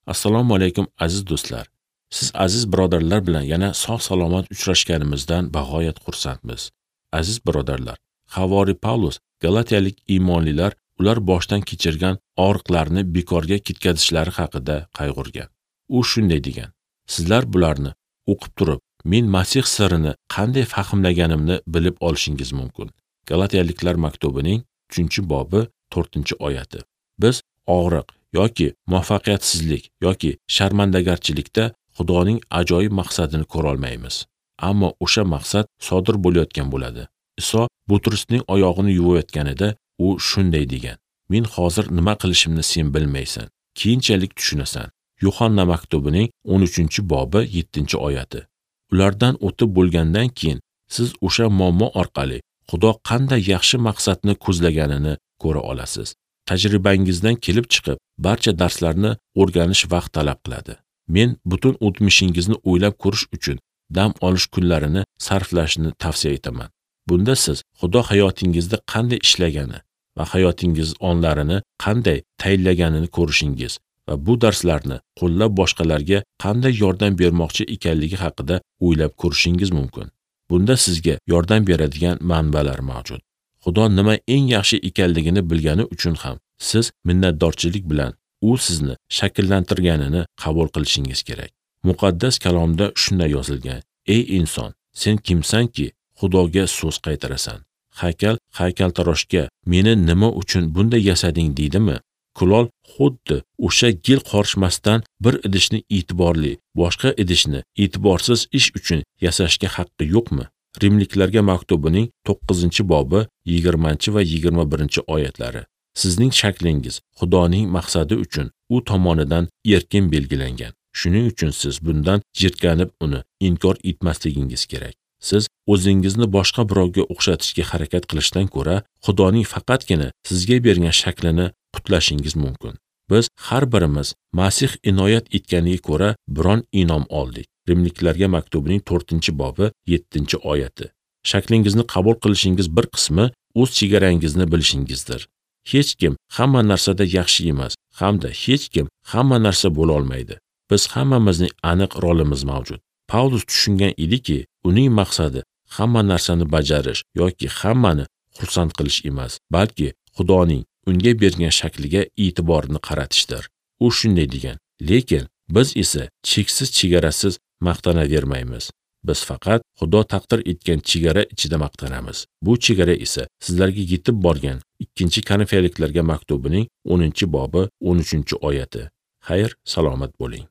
Assalomu alaykum aziz do'stlar. Siz aziz birodarlar bilan yana sog' salomat uchrashganimizdan bag'oyat xursandmiz. Aziz birodarlar, Havori Pavlus Galatiyalik iymonlilar ular boshdan kechirgan og'riqlarni bekorga ketkazishlari haqida qayg'urgan. U shunday degan: Sizlar bularni o'qib turib, men Masih sirini qanday fahmlaganimni bilib olishingiz mumkin. Galatiyaliklar maktubining 3-bobi 4-oyati. Biz og'riq yoki muvaffaqiyatsizlik yoki sharmandagarchilikda Xudoning ajoyib maqsadini ko'ra olmaymiz. Ammo o'sha maqsad sodir bo'layotgan bo'ladi. Iso Butrusning oyog'ini yuvayotganida u shunday degan: Men hozir nima qilishimni sen bilmaysan, keyinchalik tushunasan. Yuhanna maktubining 13-bobi 7-oyati. Ulardan o'tib bo'lgandan keyin siz o'sha muammo orqali Xudo qanday yaxshi maqsadni ko'zlaganini ko'ra olasiz. Tajribangizdan kelib chiqib, barcha darslarni o'rganish vaqt talab qiladi. Men butun o'tmishingizni o'ylab ko'rish uchun dam olish kunlarini sarflashni tavsiya etaman. Bunda siz Xudo hayotingizda qanday ishlagani va hayotingiz onlarini qanday tayinlaganini ko'rishingiz va bu darslarni qo'llab boshqalarga qanday yordam bermoqchi ekanligi haqida o'ylab ko'rishingiz mumkin. Bunda sizga yordam beradigan manbalar mavjud. Xudo nima eng yaxshi ekanligini bilgani uchun ham siz minnatdorchilik bilan u sizni shakllantirganini qabul qilishingiz kerak. Muqaddas kalomda shunday yozilgan: Ey inson, sen kimsanki Xudoga so'z qaytarasan? Haykal haykaltaroshga meni nima uchun bunday yasading deydimi? Kulol xuddi o'sha gil qorishmasdan bir idishni e'tiborli, boshqa idishni e'tiborsiz ish uchun yasashga haqqi yo'qmi? Rimliklarga maktubining 9-bobi 20 va 21-oyatlari. Sizning shaklingiz Xudoning maqsadi uchun u tomonidan erkin belgilangan. Shuning uchun siz bundan jirkanib uni inkor etmasligingiz kerak. Siz o'zingizni boshqa birovga o'xshatishga harakat qilishdan ko'ra, Xudoning faqatgina sizga bergan shaklini qutlashingiz mumkin. Biz har birimiz Masih inoyat etganiga ko'ra biron inom oldik. Rimliklarga maktubining 4-bobi 7-oyati. Shaklingizni qabul qilishingiz bir qismi o'z chegarangizni bilishingizdir. Hech kim hamma narsada yaxshi emas, hamda hech kim hamma narsa bo'la olmaydi. Biz hammamizning aniq rolimiz mavjud. Pavlus tushungan ediki, uning maqsadi hamma narsani bajarish yoki hammani xursand qilish emas, balki Xudoning unga bergan shakliga e'tiborni qaratishdir. U shunday degan: Lekin biz esa cheksiz chegarasiz maqtanavermaymiz. Biz faqat Xudo taqdir etgan chegara ichida maqtanamiz. Bu chegara esa sizlarga yetib borgan 2-Korinfiyliklarga maktubining 10-bobi 13-oyati. Xayr, salomat bo'ling.